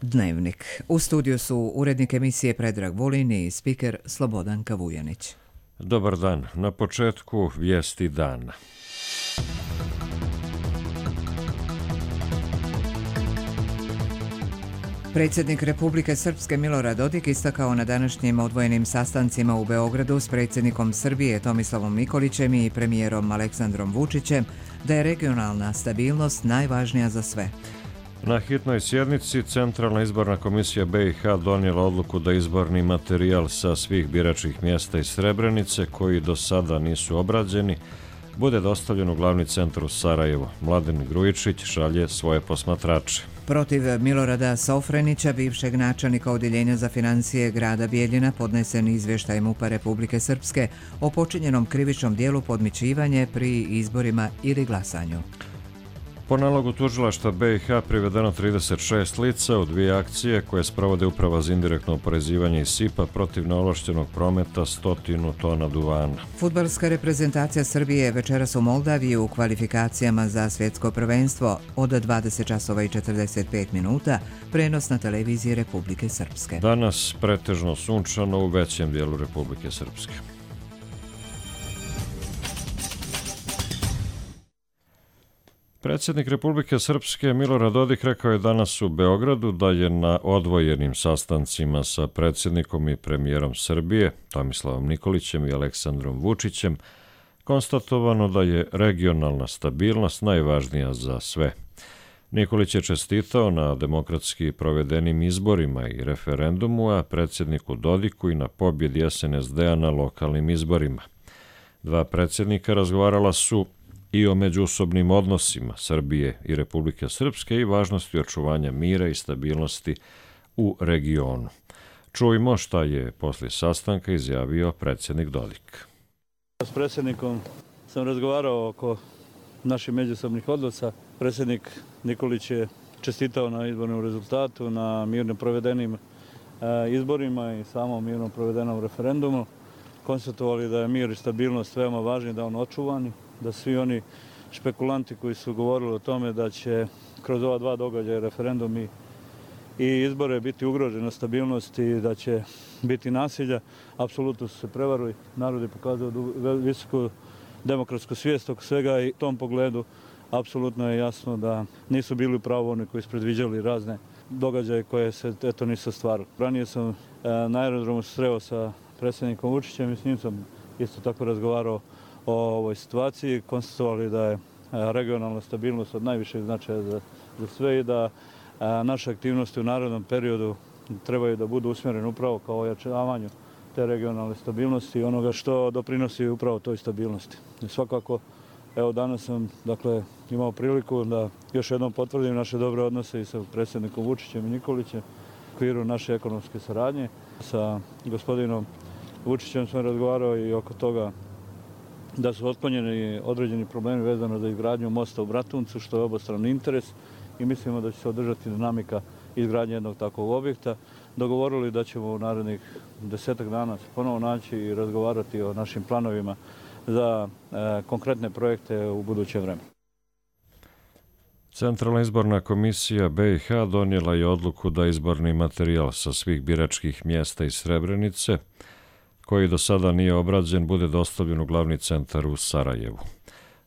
Dnevnik. U studiju su urednik emisije Predrag Vulin i spiker Slobodanka Vujanić. Dobar dan. Na početku vijesti dana. Predsjednik Republike Srpske Milorad Dodik istakao na današnjim odvojenim sastancima u Beogradu s predsjednikom Srbije Tomislavom Nikolićem i premijerom Aleksandrom Vučićem da je regionalna stabilnost najvažnija za sve. Na hitnoj sjednici Centralna izborna komisija BiH donijela odluku da izborni materijal sa svih biračkih mjesta iz Srebrenice, koji do sada nisu obrađeni, bude dostavljen u glavni centar u Sarajevu. Mladen Grujičić šalje svoje posmatrače. Protiv Milorada Sofrenića, bivšeg načelnika Odjeljenja za financije grada Bijeljina, podnesen izvještaj MUP-a Republike Srpske o počinjenom krivičnom dijelu podmićivanje pri izborima ili glasanju. Po nalogu tužilaštva BiH privedeno 36 lica u dvije akcije koje sprovode Uprava za indirektno oporezivanje i SIP-a protiv neovlaštenog prometa 100 tona duvana. Fudbalska reprezentacija Srbije večeras u Moldaviji u kvalifikacijama za svjetsko prvenstvo od 20:45, prenos na televiziji Republike Srpske. Danas pretežno sunčano u većem dijelu Republike Srpske. Predsjednik Republike Srpske Milorad Dodik rekao je danas u Beogradu da je na odvojenim sastancima sa predsjednikom i premijerom Srbije Tomislavom Nikolićem i Aleksandrom Vučićem konstatovano da je regionalna stabilnost najvažnija za sve. Nikolić je čestitao na demokratski provedenim izborima i referendumu, a predsjedniku Dodiku i na pobjedi SNSD-a na lokalnim izborima. Dva predsjednika razgovarala su i o međusobnim odnosima Srbije i Republike Srpske i važnosti očuvanja mira i stabilnosti u regionu. Čujmo šta je poslije sastanka izjavio predsjednik Dodik. S predsjednikom sam razgovarao oko naših međusobnih odnosa. Predsjednik Nikolić je čestitao na izbornom rezultatu, na mirno provedenim izborima i samom mirno provedenom referendumu. Konstatovali da je mir i stabilnost veoma važni, da on očuvani, da svi oni špekulanti koji su govorili o tome da će kroz ova dva događaja, referendum i izbore, biti ugrožena stabilnost i da će biti nasilja, apsolutno su se prevarili. Narod je pokazao visoku demokratsku svijest oko svega i u tom pogledu apsolutno je jasno da nisu bili u pravu oni koji su predviđali razne događaje koje se nisu ostvarili. Ranije sam na aerodromu sreo sa predsjednikom Vučićem i s njim sam isto tako razgovarao o ovoj situaciji, konstatovali da je regionalna stabilnost od najvišeg značaja za sve i da naše aktivnosti u narednom periodu trebaju da budu usmjerene upravo kao ojačavanju te regionalne stabilnosti i onoga što doprinosi upravo toj stabilnosti. I svakako, evo danas sam imao priliku da još jednom potvrdim naše dobre odnose i sa predsjednikom Vučićem i Nikolićem u okviru naše ekonomske saradnje. Sa gospodinom Vučićem sam razgovarao i oko toga da su otklonjeni određeni problemi vezano za izgradnju mosta u Bratuncu, što je obostrani interes i mislimo da će se održati dinamika izgradnje jednog takvog objekta. Dogovorili da ćemo u narednih 10 dana se ponovo naći i razgovarati o našim planovima za konkretne projekte u buduće vreme. Centralna izborna komisija BiH donijela je odluku da izborni materijal sa svih biračkih mjesta iz Srebrenice, koji do sada nije obrađen, bude dostavljen u glavni centar u Sarajevu.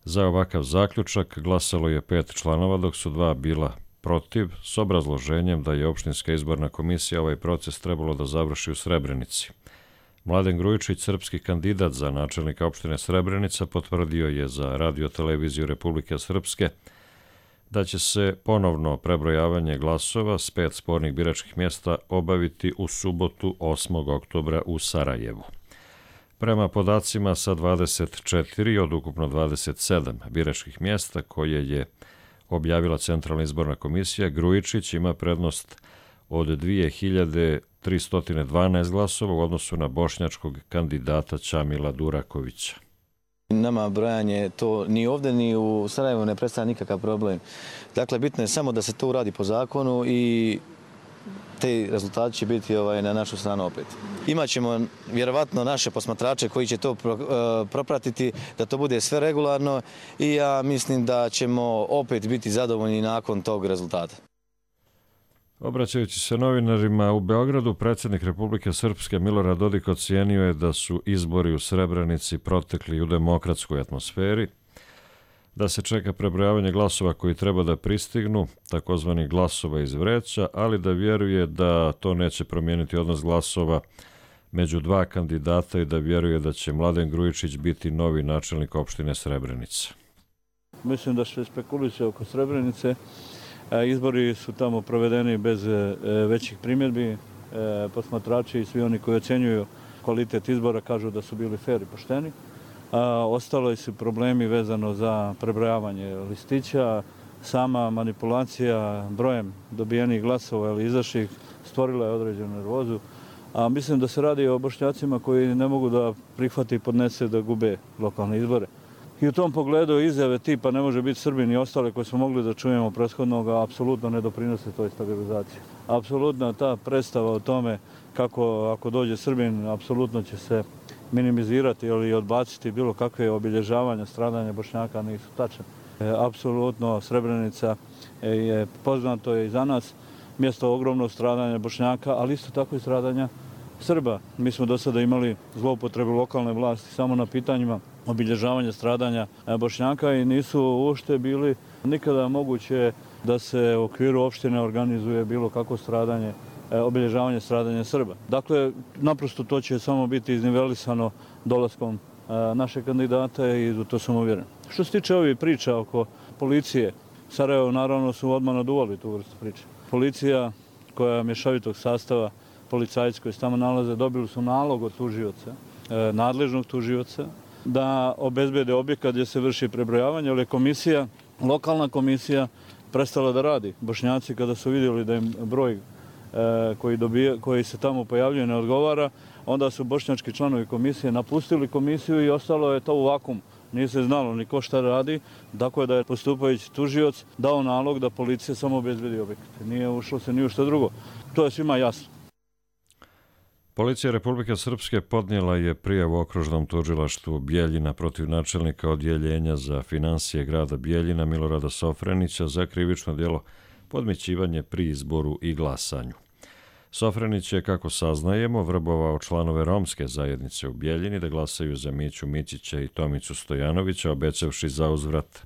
Za ovakav zaključak glasalo je 5 članova, dok su 2 bila protiv, s obrazloženjem da je opštinska izborna komisija ovaj proces trebalo da završi u Srebrenici. Mladen Grujičić, srpski kandidat za načelnika opštine Srebrenica, potvrdio je za radio-televiziju Republike Srpske da će se ponovno prebrojavanje glasova s 5 spornih biračkih mjesta obaviti u subotu 8. oktobra u Sarajevu. Prema podacima sa 24 od ukupno 27 biračkih mjesta koje je objavila Centralna izborna komisija, Grujičić ima prednost od 2312 glasova u odnosu na bošnjačkog kandidata Čamila Durakovića. Nama brojanje to ni ovdje ni u Sarajevu ne predstavlja nikakav problem. Dakle, bitno je samo da se to uradi po zakonu i te rezultati će biti na našu stranu opet. Imaćemo vjerovatno naše posmatrače koji će to propratiti, da to bude sve regularno i ja mislim da ćemo opet biti zadovoljni nakon tog rezultata. Obraćajući se novinarima u Beogradu, predsjednik Republike Srpske Milorad Dodik ocijenio je da su izbori u Srebrenici protekli u demokratskoj atmosferi, da se čeka prebrojavanje glasova koji treba da pristignu, takozvani glasova iz vreća, ali da vjeruje da to neće promijeniti odnos glasova među dva kandidata i da vjeruje da će Mladen Grujičić biti novi načelnik opštine Srebrenica. Mislim da se spekuliše oko Srebrenice. Izbori su tamo provedeni bez većih primjedbi. Posmatrači i svi oni koji ocjenjuju kvalitet izbora kažu da su bili fer i pošteni. Ostalo su problemi vezano za prebrojavanje listića. Sama manipulacija brojem dobijenih glasova ili izašlih stvorila je određenu nervozu. A mislim da se radi o Bošnjacima koji ne mogu da prihvati i podnese da gube lokalne izbore. I u tom pogledu izjave tipa ne može biti Srbin i ostale koje smo mogli da čujemo prethodnoga apsolutno ne doprinose toj stabilizaciji. Apsolutno ta predstava o tome kako ako dođe Srbin apsolutno će se minimizirati ili odbaciti bilo kakve obilježavanja stradanja Bošnjaka nisu tačne. Apsolutno Srebrenica je poznato je i za nas mjesto ogromnog stradanja Bošnjaka, ali isto tako i stradanja Srba. Mi smo do sada imali zloupotrebu lokalne vlasti samo na pitanjima obilježavanja stradanja Bošnjaka i nisu uopšte bili nikada moguće da se u okviru opštine organizuje bilo kakvo stradanje, obilježavanje stradanja Srba. Dakle, naprosto to će samo biti iznivelisano dolaskom našeg kandidata i u to sam uvjeren. Što se tiče ovih priča oko policije, Sarajevo naravno su odmah naduvali tu vrstu priče. Policija koja je mješovitog sastava, policajci koji se tamo nalaze, dobili su nalog od tužioca, nadležnog tužioca, da obezbede objekat gdje se vrši prebrojavanje, ali je komisija, lokalna komisija prestala da radi. Bošnjaci kada su vidjeli da im broj koji se tamo pojavljuje ne odgovara, onda su bošnjački članovi komisije napustili komisiju i ostalo je to u vakuumu. Nije se znalo ni ko šta radi, tako je da je postupajući tužioc dao nalog da policija samo obezbedi objekat. Nije ušlo se ni u što drugo. To je svima jasno. Policija Republike Srpske podnijela je prijavu okružnom tužilaštvu Bijeljina protiv načelnika odjeljenja za finansije grada Bijeljina Milorada Sofrenića za krivično djelo podmićivanje pri izboru i glasanju. Sofrenić je, kako saznajemo, vrbovao članove romske zajednice u Bijeljini da glasaju za Miću Mićića i Tomicu Stojanovića, obećavši za uzvrat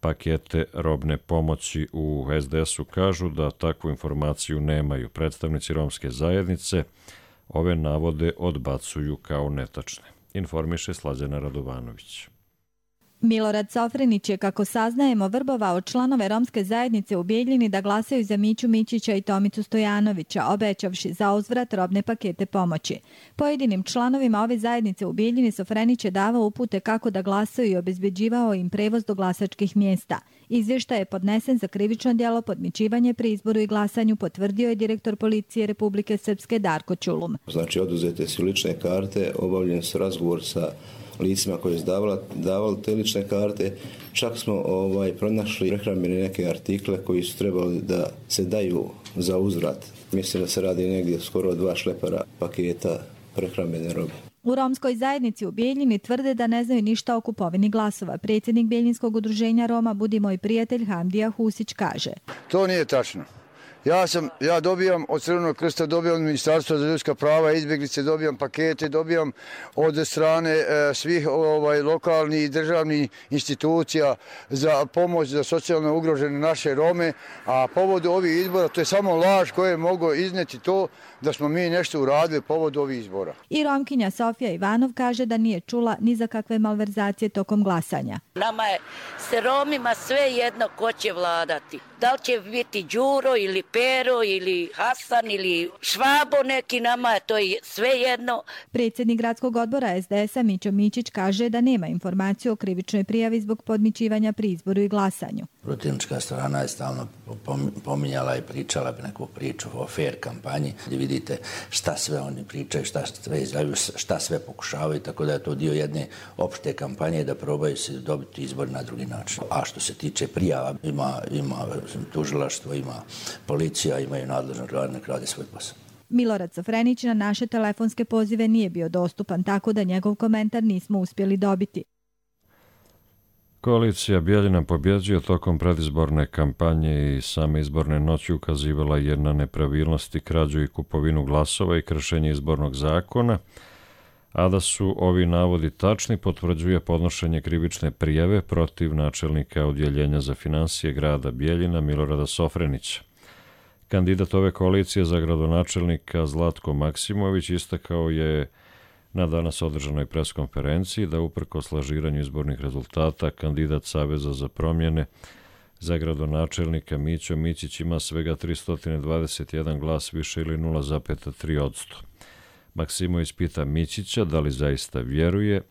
pakete robne pomoći. U SDS-u kažu da takvu informaciju nemaju. Predstavnici romske zajednice ove navode odbacuju kao netačne. Informiše Slađana Radovanović. Milorad Sofrenić je, kako saznajemo, vrbovao članove romske zajednice u Bijeljini da glasaju za Miću Mićića i Tomicu Stojanovića, obećavši za uzvrat robne pakete pomoći. Pojedinim članovima ove zajednice u Bijeljini Sofrenić je davao upute kako da glasaju i obezbeđivao im prevoz do glasačkih mjesta. Izvještaj je podnesen za krivično djelo podmićivanje pri izboru i glasanju, potvrdio je direktor policije Republike Srpske Darko Ćulum. Znači, oduzete su lične karte, obavljen su razgovor sa licima koji su davali te lične karte. Čak smo pronašli prehrambene neke artikle koji su trebali da se daju za uzvrat. Mislim da se radi negdje skoro 2 šlepera paketa prehrambene robe. U romskoj zajednici u Bijeljini tvrde da ne znaju ništa o kupovini glasova. Predsjednik Bijeljinskog udruženja Roma Budi moj prijatelj Hamdija Husić kaže: To nije tačno. Ja dobijam od Crvenog krsta, dobijam od Ministarstva za ljudska prava i izbjeglice, dobijam pakete, dobijam od strane svih lokalnih i državnih institucija za pomoć za socijalno ugrožene naše Rome, a povodu ovih izbora to je samo laž koje je moglo izneti to da smo mi nešto uradili povodu ovih izbora. I Romkinja Sofija Ivanov kaže da nije čula ni za kakve malverzacije tokom glasanja. Nama je s Romima sve jedno ko će vladati. Da li će biti Đuro ili Pero ili Hasan ili Švabo neki, nama je to sve jedno. Predsjednik gradskog odbora SDS-a Mićo Mićić kaže da nema informaciju o krivičnoj prijavi zbog podmićivanja pri izboru i glasanju. Protivnička strana je stalno pominjala i pričala neku priču o fair kampanji, gdje vidite šta sve oni pričaju, šta sve izjavljuju, šta sve pokušavaju, tako da je to dio jedne opšte kampanje da probaju se dobiti izbor na drugi način. A što se tiče prijava, ima tužilaštvo, ima policija, imaju nadležno organ, nek radi svoj posao. Milorad Sofrenić na naše telefonske pozive nije bio dostupan, tako da njegov komentar nismo uspjeli dobiti. Koalicija Bijeljina pobjeđuje tokom predizborne kampanje i same izborne noći ukazivala je na nepravilnosti, krađu i kupovinu glasova i kršenje izbornog zakona, a da su ovi navodi tačni potvrđuje podnošenje krivične prijave protiv načelnika Odjeljenja za finansije grada Bijeljina Milorada Sofrenića. Kandidat ove koalicije za gradonačelnika Zlatko Maksimović istakao je na danas održanoj preskonferenciji da uprkos lažiranju izbornih rezultata kandidat Saveza za promjene za gradonačelnika Mićo Mićić ima svega 321 glas više ili 0,3%. Maksimović pita Mićića da li zaista vjeruje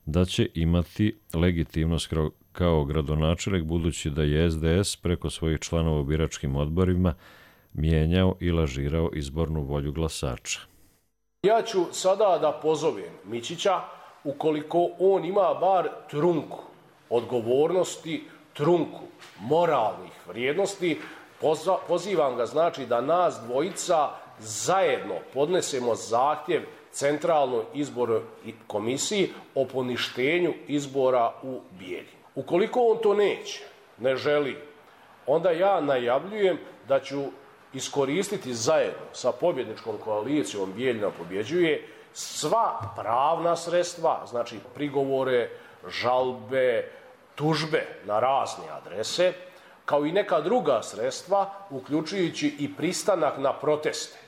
da će imati legitimnost kao gradonačelnik budući da je SDS preko svojih članova u biračkim odborima mijenjao i lažirao izbornu volju glasača. Ja ću sada da pozovem Mićića, ukoliko on ima bar trunku odgovornosti, trunku moralnih vrijednosti, pozivam ga znači da nas dvojica zajedno podnesemo zahtjev Centralnoj izbornoj komisiji o poništenju izbora u Bijeljini. Ukoliko on to ne želi, onda ja najavljujem da ću iskoristiti zajedno sa pobjedničkom koalicijom Bijeljina pobjeđuje sva pravna sredstva, znači prigovore, žalbe, tužbe na razne adrese, kao i neka druga sredstva, uključujući i pristanak na proteste,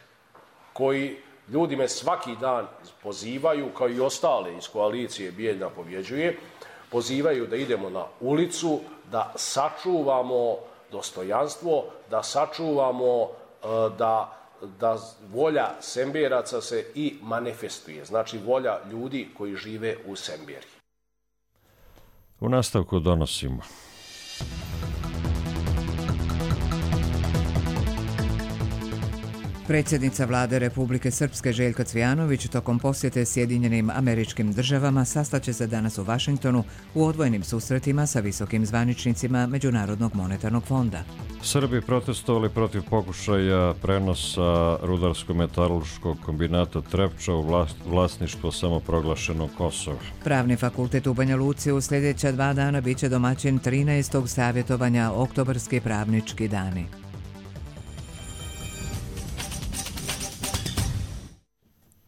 koji ljudi me svaki dan pozivaju, kao i ostale iz koalicije Bijeljina pobjeđuje, pozivaju da idemo na ulicu, da sačuvamo dostojanstvo, da sačuvamo da volja Semberaca se i manifestuje, znači volja ljudi koji žive u Semberi. U nastavku donosimo. Predsjednica vlade Republike Srpske Željka Cvijanović tokom posjete Sjedinjenim Američkim Državama sastaće se danas u Vašingtonu u odvojenim susretima sa visokim zvaničnicima Međunarodnog monetarnog fonda. Srbi protestovali protiv pokušaja prenosa rudarsko-metalurškog kombinata Trepča u vlasništvo samoproglašenog Kosova. Pravni fakultet u Banja Luci u sljedeća 2 dana biće domaćin 13. savjetovanja Oktobarski pravnički dani.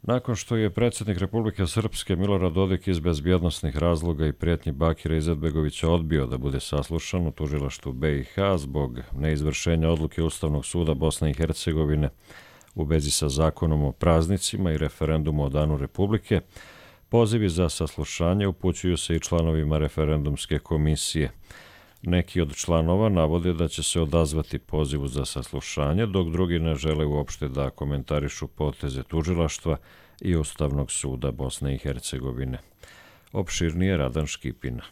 Nakon što je predsjednik Republike Srpske Milorad Dodik iz bezbjednosnih razloga i prijetnji Bakira Izetbegovića odbio da bude saslušan u tužilaštvu BiH zbog neizvršenja odluke Ustavnog suda Bosne i Hercegovine u vezi sa zakonom o praznicima i referendumu o Danu Republike, pozivi za saslušanje upućuju se i članovima referendumske komisije. Neki od članova navode da će se odazvati pozivu za saslušanje, dok drugi ne žele uopšte da komentarišu poteze tužilaštva i Ustavnog suda Bosne i Hercegovine. Opširnije Radan Škipina.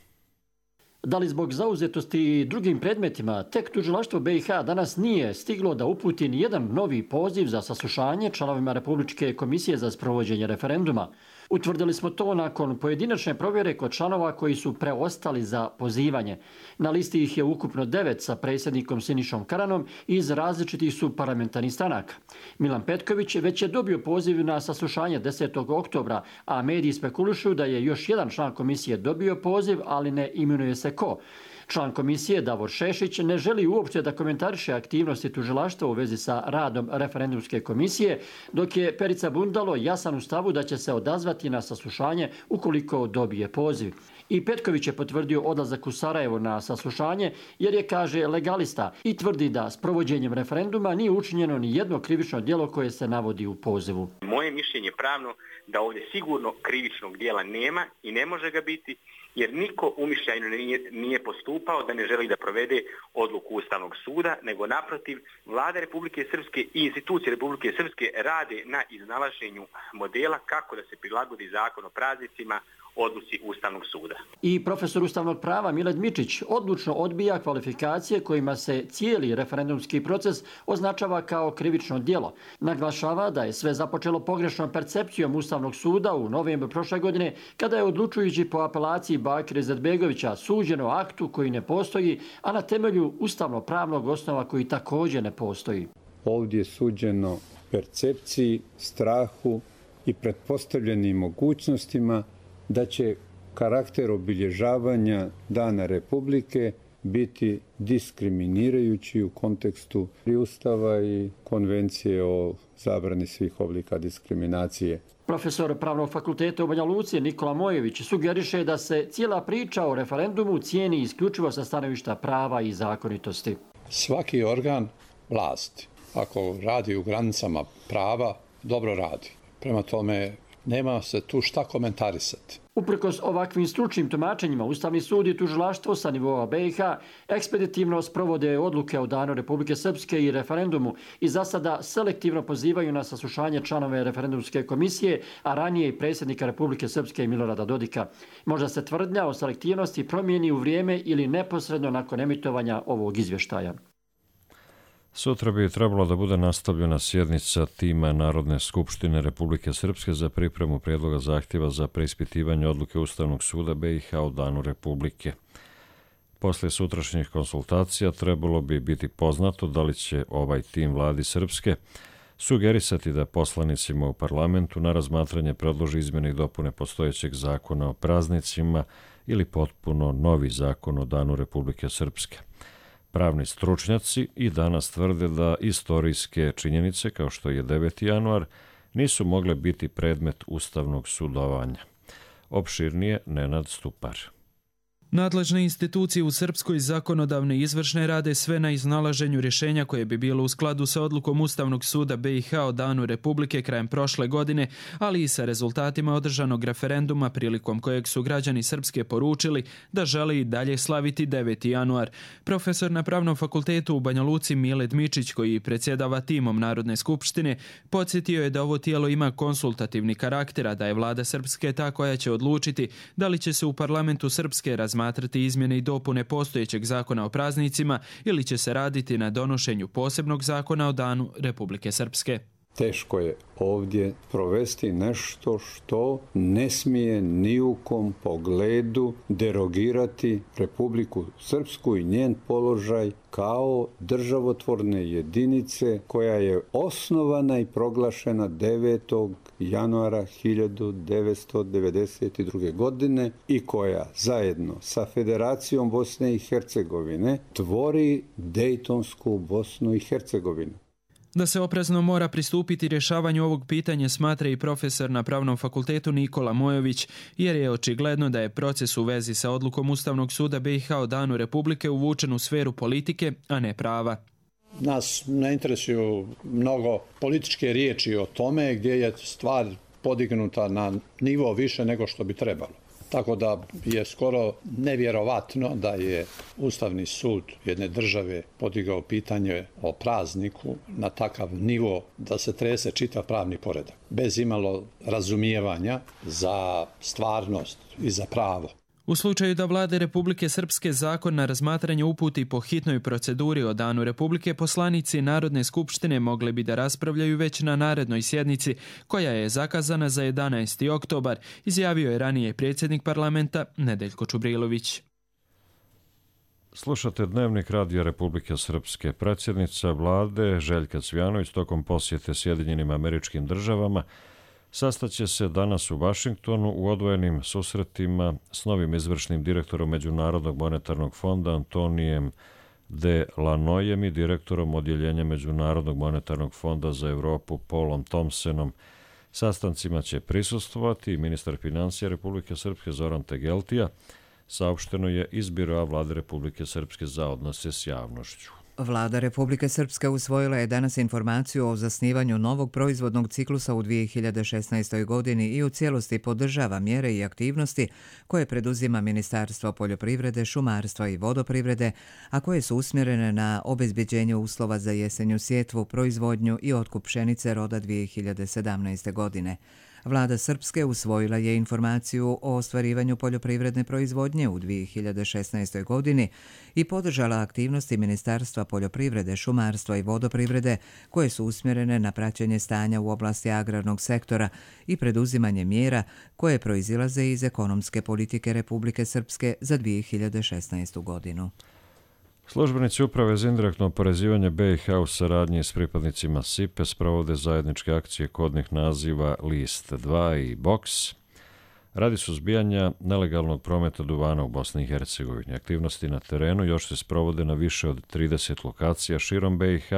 Da li zbog zauzetosti drugim predmetima, tek tužilaštvo BiH danas nije stiglo da uputi nijedan novi poziv za saslušanje članovima Republičke komisije za sprovođenje referenduma. Utvrdili smo to nakon pojedinačne provjere kod članova koji su preostali za pozivanje. Na listi ih je ukupno 9 sa predsjednikom Sinišom Karanom iz različitih su parlamentarnih stranaka. Milan Petković već je dobio poziv na saslušanje 10. oktobra, a mediji spekulišu da je još jedan član komisije dobio poziv, ali ne imenuje se ko. Član komisije Davor Šešić ne želi uopće da komentariše aktivnosti tužilaštva u vezi sa radom referendumske komisije, dok je Perica Bundalo jasan u stavu da će se odazvati na saslušanje ukoliko dobije poziv. I Petković je potvrdio odlazak u Sarajevo na saslušanje jer je, kaže, legalista i tvrdi da s provođenjem referenduma nije učinjeno ni jedno krivično djelo koje se navodi u pozivu. Moje mišljenje pravno da ovdje sigurno krivičnog djela nema i ne može ga biti, jer niko umišljajno nije postupao da ne želi da provede odluku Ustavnog suda, nego naprotiv, vlada Republike Srpske i institucije Republike Srpske rade na iznalaženju modela kako da se prilagodi zakon o praznicima odluci Ustavnog suda. I profesor ustavnog prava Milad Mičić odlučno odbija kvalifikacije kojima se cijeli referendumski proces označava kao krivično djelo. Naglašava da je sve započelo pogrešnom percepcijom Ustavnog suda u novembru prošle godine, kada je odlučujući po apelaciji Bakira Izetbegovića suđeno aktu koji ne postoji, a na temelju ustavno-pravnog osnova koji također ne postoji. Ovdje je suđeno percepciji, strahu i pretpostavljenim mogućnostima da će karakter obilježavanja Dana Republike biti diskriminirajući u kontekstu Ustava i Konvencije o zabrani svih oblika diskriminacije. Profesor Pravnog fakulteta u Banja Luci Nikola Mojević sugeriše da se cijela priča o referendumu cijeni isključivo sa stanovišta prava i zakonitosti. Svaki organ vlasti, ako radi u granicama prava, dobro radi. Prema tome, nema se tu šta komentarisati. Uprkos ovakvim stručnim tumačenjima, Ustavni sud i tužilaštvo sa nivoa BiH ekspeditivno sprovode odluke o Danu Republike Srpske i referendumu i za sada selektivno pozivaju na saslušanje članove referendumske komisije, a ranije i predsjednika Republike Srpske Milorada Dodika. Možda se tvrdnja o selektivnosti promijeni u vrijeme ili neposredno nakon emitovanja ovog izvještaja. Sutra bi trebalo da bude nastavljena sjednica tima Narodne skupštine Republike Srpske za pripremu prijedloga zahtjeva za preispitivanje odluke Ustavnog suda BiH o Danu Republike. Poslije sutrašnjih konsultacija trebalo bi biti poznato da li će ovaj tim vladi Srpske sugerisati da poslanicima u parlamentu na razmatranje predloži izmjene i dopune postojećeg zakona o praznicima ili potpuno novi zakon o Danu Republike Srpske. Pravni stručnjaci i danas tvrde da istorijske činjenice, kao što je 9. januar, nisu mogle biti predmet ustavnog sudovanja. Opširnije Nenad Stupar. Nadležne institucije u Srpskoj zakonodavne i izvršne rade sve na iznalaženju rješenja koje bi bilo u skladu sa odlukom Ustavnog suda BiH o Danu Republike krajem prošle godine, ali i sa rezultatima održanog referenduma prilikom kojeg su građani Srpske poručili da žele i dalje slaviti 9. januar. Profesor na Pravnom fakultetu u Banja Luci Mile Dmičić, koji predsjedava timom Narodne skupštine, podsjetio je da ovo tijelo ima konsultativni karakter, a da je vlada Srpske ta koja će odlučiti da li će se u parlamentu Srpske razmatrati izmjene i dopune postojećeg zakona o praznicima ili će se raditi na donošenju posebnog zakona o Danu Republike Srpske. Teško je ovdje provesti nešto što ne smije ni u kom pogledu derogirati Republiku Srpsku i njen položaj kao državotvorne jedinice koja je osnovana i proglašena 9. januara 1992. godine i koja zajedno sa Federacijom Bosne i Hercegovine tvori Dejtonsku Bosnu i Hercegovinu. Da se oprezno mora pristupiti rješavanju ovog pitanja smatra i profesor na Pravnom fakultetu Nikola Mojović, jer je očigledno da je proces u vezi sa odlukom Ustavnog suda BiH o Danu Republike uvučen u sferu politike, a ne prava. Nas ne interesuju mnogo političke riječi o tome gdje je stvar podignuta na nivo više nego što bi trebalo. Tako da je skoro nevjerovatno da je Ustavni sud jedne države podigao pitanje o prazniku na takav nivo da se trese čitav pravni poredak, bez imalo razumijevanja za stvarnost i za pravo. U slučaju da vlade Republike Srpske zakon na razmatranje uputi po hitnoj proceduri o Danu Republike, poslanici Narodne skupštine mogli bi da raspravljaju već na narednoj sjednici, koja je zakazana za 11. oktobar, izjavio je ranije predsjednik parlamenta Nedeljko Čubrilović. Slušate Dnevnik Radija Republike Srpske. Predsjednica vlade Željka Cvijanović tokom posjete Sjedinjenim Američkim Državama sastaće se danas u Vašingtonu u odvojenim susretima s novim izvršnim direktorom Međunarodnog monetarnog fonda Antonijem de Lanojem i direktorom odjeljenja Međunarodnog monetarnog fonda za Europu Paulom Thompsonom. Sastancima će prisustvovati i ministar financija Republike Srpske Zoran Tegeltija, saopšteno je iz Biroa vlade Republike Srpske za odnose s javnošću. Vlada Republike Srpske usvojila je danas informaciju o zasnivanju novog proizvodnog ciklusa u 2016. godini i u cijelosti podržava mjere i aktivnosti koje preduzima Ministarstvo poljoprivrede, šumarstva i vodoprivrede, a koje su usmjerene na obezbeđenje uslova za jesenju sjetvu, proizvodnju i otkup pšenice roda 2017. godine. Vlada Srpske usvojila je informaciju o ostvarivanju poljoprivredne proizvodnje u 2016. godini i podržala aktivnosti Ministarstva poljoprivrede, šumarstva i vodoprivrede koje su usmjerene na praćenje stanja u oblasti agrarnog sektora i preduzimanje mjera koje proizilaze iz ekonomske politike Republike Srpske za 2016. godinu. Službenici Uprave za indirektno oporezivanje BiH u saradnji s pripadnicima SIPE sprovode zajedničke akcije kodnih naziva List 2 i Box. radi suzbijanja nelegalnog prometa duvana u Bosni i Hercegovini. Aktivnosti na terenu još se sprovode na više od 30 lokacija širom BiH,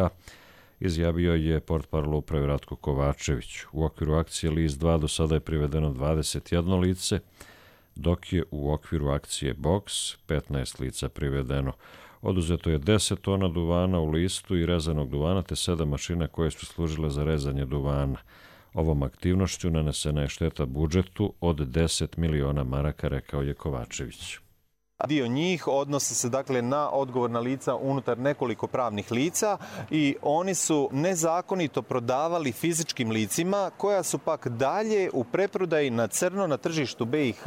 izjavio je portparol uprave Ratko Kovačević. U okviru akcije List 2 do sada je privedeno 21 lice, dok je u okviru akcije Box 15 lica privedeno. Oduzeto je 10 tona duvana u listu i rezanog duvana, te 7 mašina koje su služile za rezanje duvana. Ovom aktivnošću nanesena je šteta budžetu od 10 miliona maraka, rekao je Kovačević. Dio njih odnosi se dakle na odgovorna lica unutar nekoliko pravnih lica i oni su nezakonito prodavali fizičkim licima koja su pak dalje u preprodaji na crno na tržištu BiH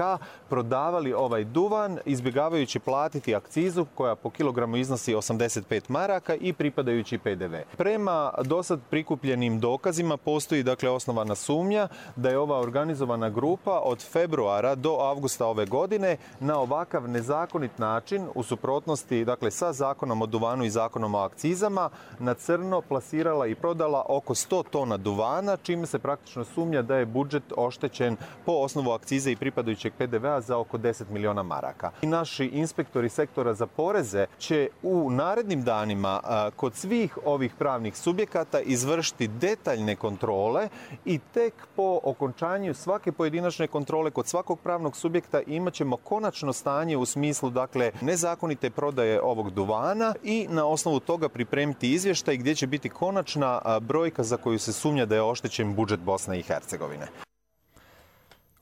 prodavali ovaj duvan izbjegavajući platiti akcizu koja po kilogramu iznosi 85 maraka i pripadajući PDV. Prema dosad prikupljenim dokazima postoji dakle osnovana sumnja da je ova organizovana grupa od februara do avgusta ove godine na ovakav nezakonit način u suprotnosti dakle sa zakonom o duvanu i zakonom o akcizama na crno plasirala i prodala oko 100 tona duvana, čime se praktično sumnja da je budžet oštećen po osnovu akcize i pripadajućeg PDV-a za oko 10 miliona maraka. I naši inspektori sektora za poreze će u narednim danima kod svih ovih pravnih subjekata izvršiti detaljne kontrole i tek po okončanju svake pojedinačne kontrole kod svakog pravnog subjekta imat ćemo konačno stanje u smislu dakle nezakonite prodaje ovog duvana i na osnovu toga pripremiti izvještaj gdje će biti konačna brojka za koju se sumnja da je oštećen budžet Bosne i Hercegovine.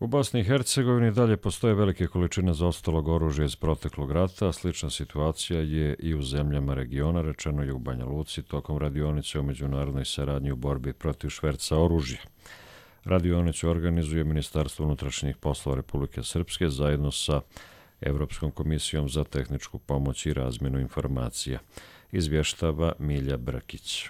U Bosni i Hercegovini dalje postoje velike količine zaostalog oružja iz proteklog rata, a slična situacija je i u zemljama regiona, rečeno je u Banja Luci tokom radionice o međunarodnoj saradnji u borbi protiv šverca oružja. Radionicu organizuje Ministarstvo unutrašnjih poslova Republike Srpske zajedno sa Evropskom komisijom za tehničku pomoć i razmjenu informacija, izvještava Milja Brkić.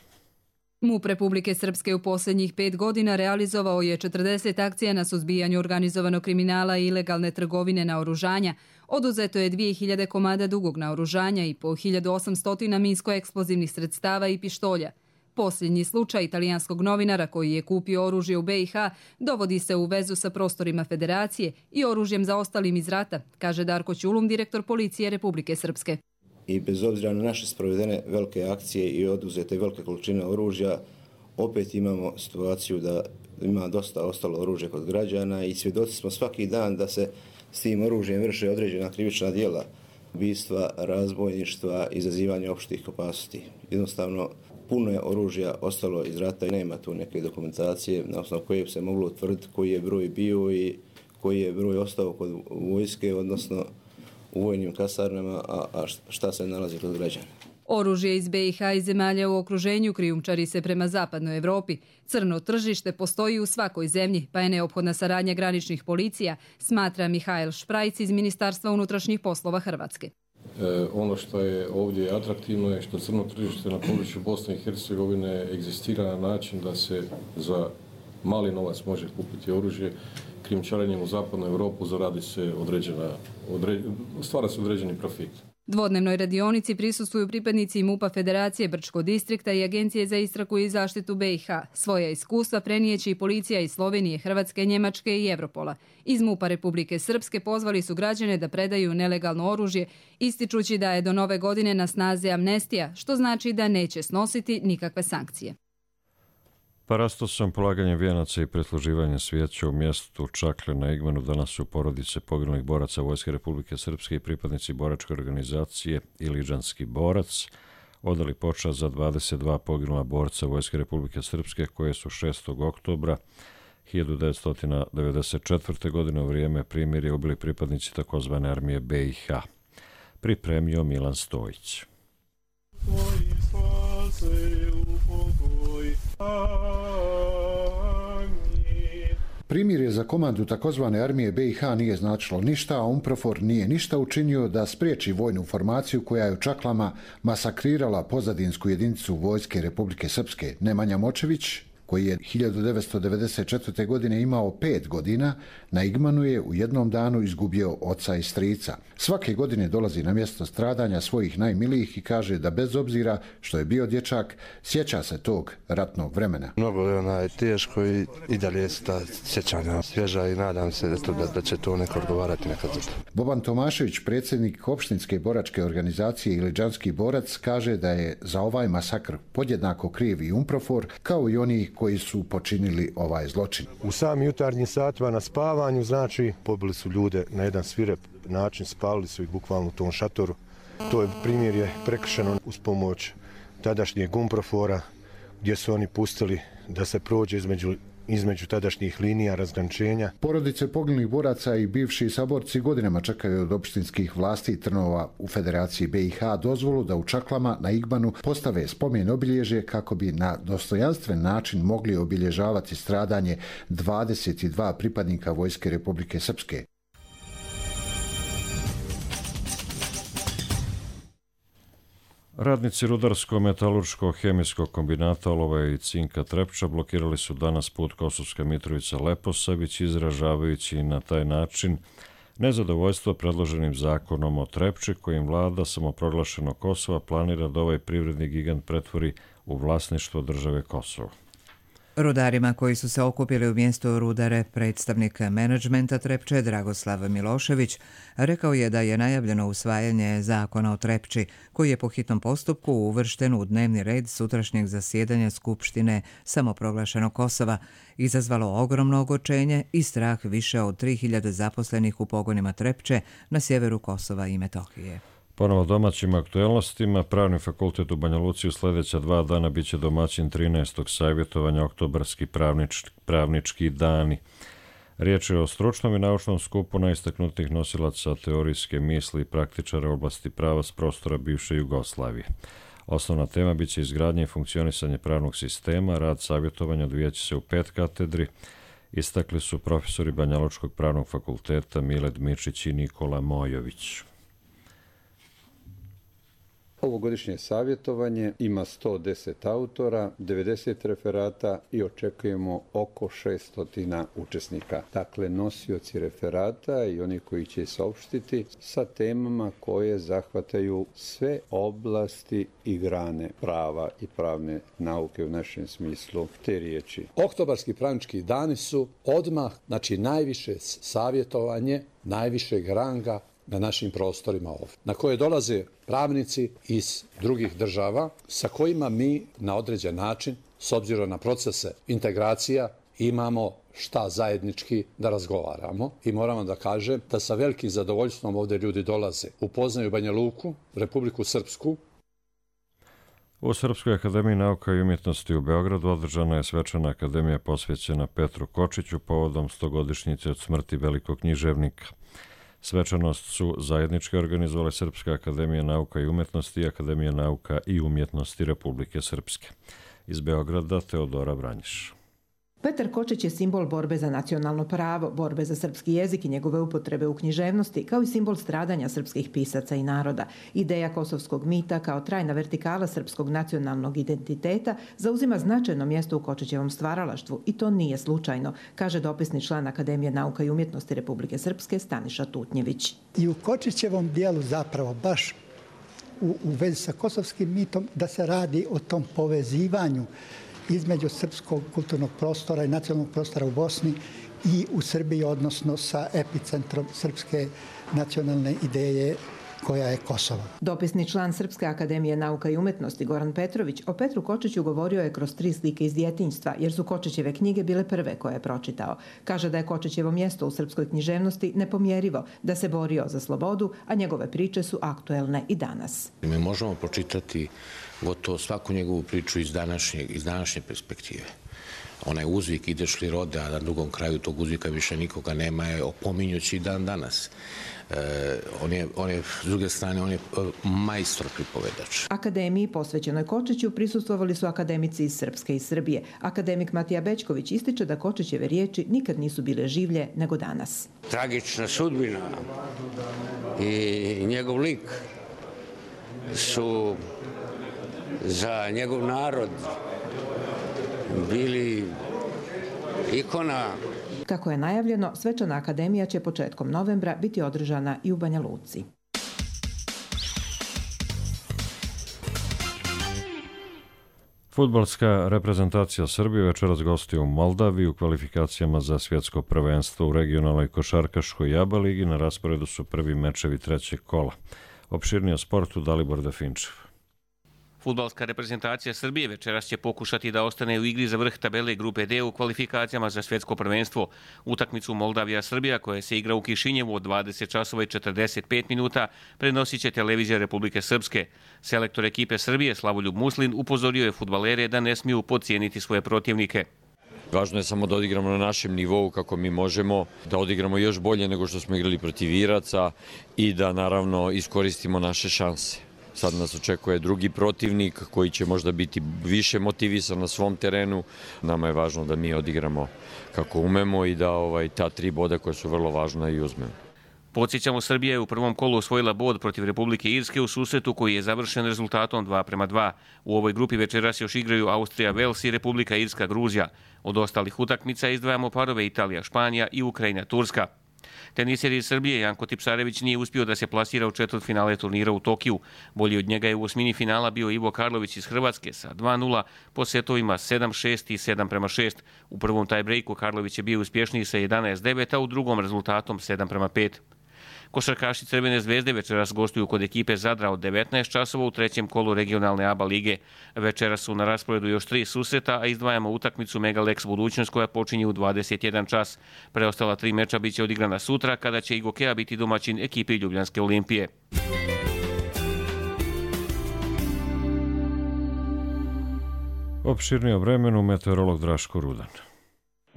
MUP Republike Srpske u posljednjih 5 godina realizovao je 40 akcija na suzbijanju organizovanog kriminala i ilegalne trgovine naoružanja. Oduzeto je 2000 komada dugog naoružanja i po 1800 minsko-eksplozivnih sredstava i pištolja. Posljednji slučaj italijanskog novinara koji je kupio oružje u BiH dovodi se u vezu sa prostorima federacije i oružjem zaostalim iz rata, kaže Darko Ćulum, direktor policije Republike Srpske. I bez obzira na naše sprovedene velike akcije i oduzete velike količine oružja, opet imamo situaciju da ima dosta ostalo oružje kod građana i svjedoci smo svaki dan da se s tim oružjem vrše određena krivična djela, ubistva, razbojništva, izazivanja opštih opasnosti. Jednostavno, puno je oružja ostalo iz rata i nema tu neke dokumentacije na osnovu koje bi se moglo utvrditi koji je broj bio i koji je broj ostao kod vojske, odnosno u vojnim kasarnama, a šta se nalazi kod građana. Oružje iz BiH i zemalja u okruženju krijumčari se prema zapadnoj Evropi. Crno tržište postoji u svakoj zemlji, pa je neophodna saradnja graničnih policija, smatra Mihajl Šprajc iz Ministarstva unutrašnjih poslova Hrvatske. Ono što je ovdje atraktivno je što crno tržište na području Bosne i Hercegovine egzistira na način da se za mali novac može kupiti oružje. Krijumčarenjem u zapadnu Europu stvara se određeni profit. Dvodnevnoj radionici prisustvuju pripadnici MUP-a Federacije Brčko distrikta i Agencije za istragu i zaštitu BiH. Svoja iskustva prenijeće i policija iz Slovenije, Hrvatske, Njemačke i Evropola. Iz MUP-a Republike Srpske pozvali su građane da predaju nelegalno oružje, ističući da je do nove godine na snazi amnestija, što znači da neće snositi nikakve sankcije. Parastosom, polaganjem vijenaca i presluživanjem svijeća u mjestu Čakle na Igmanu danas su porodice poginulih boraca Vojske Republike Srpske i pripadnici boračke organizacije Iliđanski borac odali počast za 22 poginula borca Vojske Republike Srpske koje su 6. oktobra 1994. godine u vrijeme primirja ubili pripadnici takozvane armije BiH. Pripremio Milan Stojić. Primirje za komandu takozvane armije BiH nije značilo ništa, a UNPROFOR nije ništa učinio da spriječi vojnu formaciju koja je u Čaklama masakrirala pozadinsku jedinicu Vojske Republike Srpske. Nemanja Močević koji je 1994. godine imao 5 godina, na Igmanu je u jednom danu izgubio oca i strica. Svake godine dolazi na mjesto stradanja svojih najmilijih i kaže da bez obzira što je bio dječak, sjeća se tog ratnog vremena. Mnogo je teško i dalje se ta sjećanja svježa i nadam se da će to neko odgovarati nekad za to. Boban Tomašević, predsjednik opštinske boračke organizacije Iliđanski borac, kaže da je za ovaj masakr podjednako kriv i UNPROFOR kao i oni koji su počinili ovaj zločin. U samim jutarnjim satima na spavanju, znači, pobili su ljude na jedan svirep način, spalili su ih bukvalno u tom šatoru. To je primjer je prekršeno uz pomoć tadašnjeg UNPROFOR-a, gdje su oni pustili da se prođe između tadašnjih linija razgraničenja. Porodice poginulih boraca i bivši saborci godinama čekaju od opštinskih vlasti i Trnova u Federaciji BiH dozvolu da u Čaklama na Igmanu postave spomen obilježje kako bi na dostojanstven način mogli obilježavati stradanje 22 pripadnika Vojske Republike Srpske. Radnici rudarsko-metalurško-hemijskog kombinata olova i cinka Trepča blokirali su danas put Kosovska Mitrovica-Leposavić, izražavajući na taj način nezadovoljstvo predloženim zakonom o Trepči, kojim vlada samoproglašeno Kosova planira da ovaj privredni gigant pretvori u vlasništvo države Kosovo. Rudarima koji su se okupili u mjestu Rudare, predstavnik menadžmenta Trepče Dragoslav Milošević rekao je da je najavljeno usvajanje zakona o Trepči, koji je po hitnom postupku uvršten u dnevni red sutrašnjeg zasjedanja Skupštine samoproglašenog Kosova, izazvalo ogromno ogorčenje i strah više od 3000 zaposlenih u pogonima Trepče na sjeveru Kosova i Metohije. Ponovo domaćim aktuelnostima, Pravni fakultet u Banja Luci u sljedeća 2 dana biće domaćin 13. savjetovanja Oktobarski pravnički dani. Riječ je o stručnom i naučnom skupu najistaknutijih nosilaca teorijske misli i praktičara u oblasti prava s prostora bivše Jugoslavije. Osnovna tema biće izgradnje i funkcionisanje pravnog sistema, rad savjetovanja odvijaće se u 5 katedri, istakli su profesori Banjalučkog pravnog fakulteta Miled Mičić i Nikola Mojović. Ovogodišnje savjetovanje ima 110 autora, 90 referata i očekujemo oko 600 učesnika. Dakle, nosioci referata i oni koji će saopštiti sa temama koje zahvataju sve oblasti i grane prava i pravne nauke u našem smislu te riječi. Oktobarski pravnički dani su odmah, znači najviše savjetovanje, najvišeg ranga na našim prostorima ovdje, na koje dolaze pravnici iz drugih država sa kojima mi na određen način, s obzirom na procese integracija, imamo šta zajednički da razgovaramo i moramo da kažem da sa velikim zadovoljstvom ovdje ljudi dolaze. Upoznaju Banja Luku, Republiku Srpsku. U Srpskoj akademiji nauka i umjetnosti u Beogradu održana je svečana akademija posvećena Petru Kočiću povodom 100-godišnjice od smrti velikog književnika. Svečanost su zajednički organizovale Srpska akademija nauka i umjetnosti i Akademija nauka i umjetnosti Republike Srpske. Iz Beograda Teodora Vranjiš. Petar Kočić je simbol borbe za nacionalno pravo, borbe za srpski jezik i njegove upotrebe u književnosti, kao i simbol stradanja srpskih pisaca i naroda. Ideja kosovskog mita kao trajna vertikala srpskog nacionalnog identiteta zauzima značajno mjesto u Kočićevom stvaralaštvu i to nije slučajno, kaže dopisni član Akademije nauka i umjetnosti Republike Srpske Staniša Tutnjević. I u Kočićevom dijelu zapravo baš u vezi sa kosovskim mitom da se radi o tom povezivanju između srpskog kulturnog prostora i nacionalnog prostora u Bosni i u Srbiji, odnosno sa epicentrom srpske nacionalne ideje koja je Kosovo. Dopisni član Srpske akademije nauka i umjetnosti Goran Petrović o Petru Kočiću govorio je kroz 3 slike iz djetinjstva, jer su Kočićeve knjige bile prve koje je pročitao. Kaže da je Kočićevo mjesto u srpskoj književnosti nepomjerivo, da se borio za slobodu, a njegove priče su aktuelne i danas. Mi možemo pročitati gotovo svaku njegovu priču iz današnje perspektive. Onaj uzvik ideš li rode, a na drugom kraju tog uzvika više nikoga nema, je opominjući dan danas. S druge strane, on je majstor pripovedač. Akademiji posvećenoj Kočiću prisustvovali su akademici iz Srpske i Srbije. Akademik Matija Bećković ističe da Kočićeve riječi nikad nisu bile življe nego danas. Tragična sudbina i njegov lik su za njegov narod bili ikona. Kako je najavljeno, svečana akademija će početkom novembra biti održana i u Banja Luci. Fudbalska reprezentacija Srbije večeras gostuje u Moldaviji u kvalifikacijama za svjetsko prvenstvo u regionalnoj košarkaškoj ABA ligi. Na rasporedu su prvi mečevi trećeg kola. Opširnije o sportu Dalibor Definčev. Fudbalska reprezentacija Srbije večeras će pokušati da ostane u igri za vrh tabele grupe D u kvalifikacijama za svjetsko prvenstvo. Utakmicu Moldavija-Srbija, koja se igra u Kišinjevu od 20 časova i 45 minuta, prenosit će televizija Republike Srpske. Selektor ekipe Srbije Slavoljub Muslin upozorio je fudbalere da ne smiju podcijeniti svoje protivnike. Važno je samo da odigramo na našem nivou kako mi možemo, da odigramo još bolje nego što smo igrali protiv Iraca i da naravno iskoristimo naše šanse. Sad nas očekuje drugi protivnik koji će možda biti više motivisan na svom terenu. Nama je važno da mi odigramo kako umemo i da ta 3 boda koja su vrlo važna i uzmemo. Podsjećamo, Srbija je u prvom kolu osvojila bod protiv Republike Irske u susretu koji je završen rezultatom 2:2. U ovoj grupi večeras još igraju Austrija, Vels i Republika Irska, Gruzija. Od ostalih utakmica izdvajamo parove Italija, Španija i Ukrajina, Turska. Teniser iz Srbije Janko Tipsarević nije uspio da se plasira u četvrtfinale turnira u Tokiju. Bolji od njega je u osmini finala bio Ivo Karlović iz Hrvatske sa 2:0 po setovima 7:6 i 7:6. U prvom tajbrejku Karlović je bio uspješniji sa 11:9, a u drugom rezultatom 7:5. Košarkaši Crvene zvezde večeras gostuju kod ekipe Zadra od 19 časova u trećem kolu regionalne ABA lige. Večeras su na rasporedu još 3 susreta, a izdvajamo utakmicu Megalex Budućnost koja počinje u 21 čas. Preostala 3 meča biće odigrana sutra kada će i Gokeja biti domaćin ekipi Ljubljanske Olimpije. Opširnije o vremenu meteorolog Draško Rudan.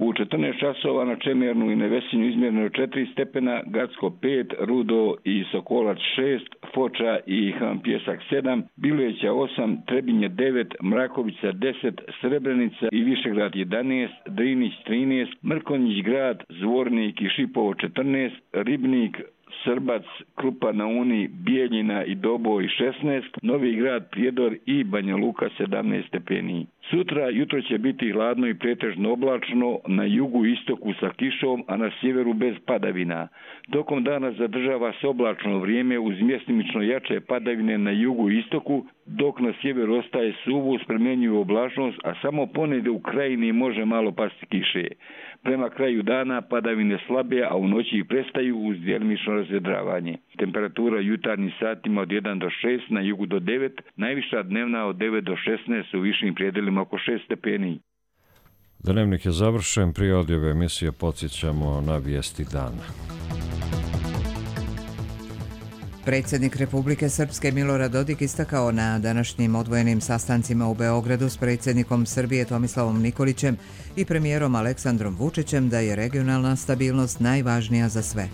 U 14 časova na Čemernu i Nevesinju izmjereno 4 stepena, Gacko 5, Rudo i Sokolac 6, Foča i Han Pjesak 7, Bileća 8, Trebinje 9, Mrakovica 10, Srebrenica i Višegrad 11, Drinić 13, Mrkonjić grad, Zvornik i Šipovo 14, Ribnik, Srbac, Krupa na Uni, Bijeljina i Doboj 16, Novi grad, Prijedor i Banja Luka 17 stepeni. Sutra jutro će biti hladno i pretežno oblačno, na jugu i istoku sa kišom, a na sjeveru bez padavina. Tokom dana zadržava se oblačno vrijeme uz mjestimično jače padavine na jugu i istoku, dok na sjeveru ostaje suvo uz promjenjivu oblačnost, a samo ponegdje u krajini može malo pasti kiše. Prema kraju dana padavine slabe, a u noći ih prestaju uz djelimično razvedravanje. Temperatura jutarnjim satima od 1 do 6, na jugu do 9, najviša dnevna od 9 do 16, u višim prijedelima oko 6 stepeni. Dnevnik je završen, prije odjave emisije podsjećamo na vijesti dana. Predsjednik Republike Srpske Milorad Dodik istakao na današnjim odvojenim sastancima u Beogradu s predsjednikom Srbije Tomislavom Nikolićem i premijerom Aleksandrom Vučićem da je regionalna stabilnost najvažnija za sve.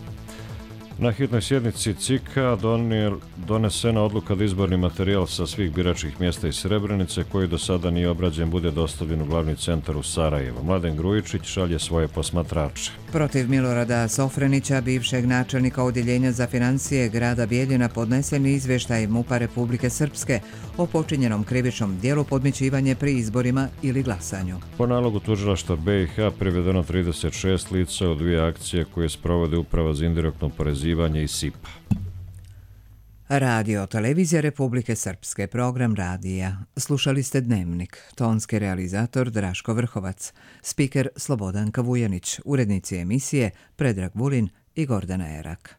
Na hitnoj sjednici CIK-a donesena odluka da izborni materijal sa svih biračkih mjesta iz Srebrenice, koji do sada nije obrađen, bude dostavljen u glavni centar u Sarajevo. Mladen Grujičić šalje svoje posmatrače. Protiv Milorada Sofrenića, bivšeg načelnika odjeljenja za financije grada Bijeljina, podnesen izvještaj MUP-a Republike Srpske o počinjenom krivičnom djelu podmićivanje pri izborima ili glasanju. Po nalogu tužilaštva BiH privedeno 36 lica u 2 akcije koje sprovode Uprava za indirektno oporezivanje i SIPA. Radio Televizija Republike Srpske, program radija. Slušali ste Dnevnik, tonski realizator Draško Vrhovac, spiker Slobodanka Vujanić, urednici emisije Predrag Vulin i Gordana Erak.